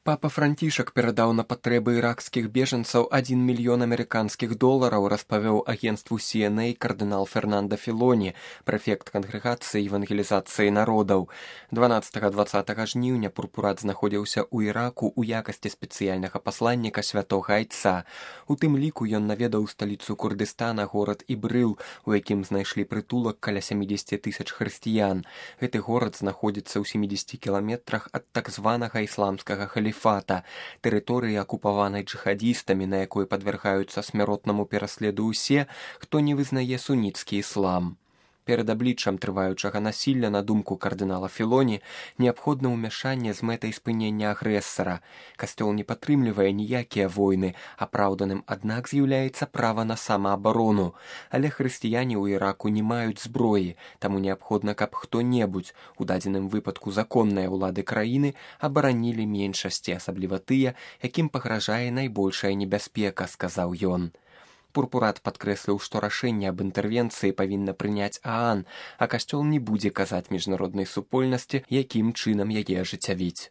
Папа Францішак перадаў на патрэбы іракскіх бежанцаў $1 мільён амерыканскіх долараў, распавёў агенцтву CNA кардынал Фернандо Філоні, прэфект кангрэгацыі евангелізацыі народаў. 12-20 жніўня пурпурат знаходзіўся ў Іраку ў якасці спецыяльнага пасланніка святога айца. У тым ліку ён наведаў сталіцу Курдыстана горад Ібрыл, у якім знайшлі прытулак каля 70 000 хрысціян. Гэты горад знаходзіцца ў 70 кіламетрах ад так званага ісламскага халіфата, тэрыторыі акупаванай джыхадістамі, на якой падвяргаюцца смяротнаму пераследу ўсе, хто не вызнае суніцкі іслам. Перад абліччам трываючага насілля, на думку кардынала Філоні, неабходна ўмяшанне з мэтай спынення агрэсара. Касцёл не падтрымлівае ніякія войны, апраўданым, аднак, з'яўляецца права на самаабарону. Але хрысціяне ў Іраку не маюць зброі, таму неабходна, каб хто-небудзь, у дадзеным выпадку законныя ўлады краіны, абаранілі меншасці, асабліва тыя, якім пагражае найбольшая небяспека, сказаў ён. Пурпурат падкрэсліў, што рашэнне аб інтэрвенцыі павінна прыняць ААН, а касцёл не будзе казаць міжнароднай супольнасці, якім чынам яе ажыццявіць.